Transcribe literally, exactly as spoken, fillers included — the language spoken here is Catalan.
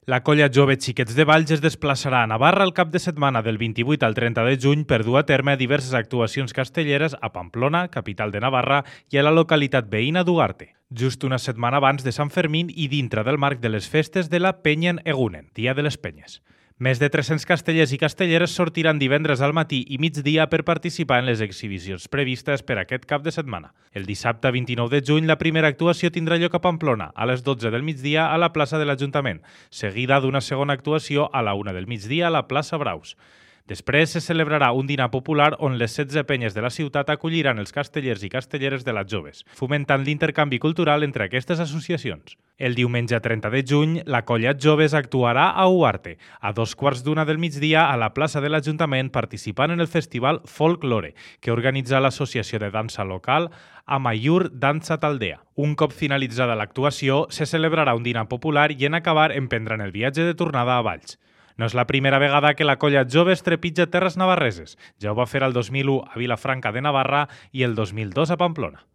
La colla jove Xiquets de Valls es desplaçarà a Navarra el cap de setmana del vint-i-vuit al trenta de juny per dur a terme diverses actuacions castelleres a Pamplona, capital de Navarra, i a la localitat veïna d'Ugarte. Just una setmana abans de Sant Fermín i dintre del marc de les festes de la Penyen Egunen, Dia de les Penyes. Més de tres-cents castellers i castelleres sortiran divendres al matí i migdia per participar en les exhibicions previstes per aquest cap de setmana. El dissabte vint-i-nou de juny la primera actuació tindrà lloc a Pamplona, a les dotze del migdia a la plaça de l'Ajuntament, seguida d'una segona actuació a la una del migdia a la plaça Braus. Després se celebrarà un dinar popular on les setze penyes de la ciutat acolliran els castellers i castelleres de les joves, fomentant l'intercanvi cultural entre aquestes associacions. El diumenge trenta de juny, la colla Joves actuarà a Ugarte, a dos quarts d'una del migdia a la plaça de l'Ajuntament participant en el festival Folklore, que organitza l'associació de dansa local Amaiur Dansa Taldea. Un cop finalitzada l'actuació, se celebrarà un dinar popular i en acabar emprendran el viatge de tornada a Valls. No és la primera vegada que la colla Joves trepitja terres navarreses. Ja ho va fer el dos mil u a Vilafranca de Navarra i el dos mil dos a Pamplona.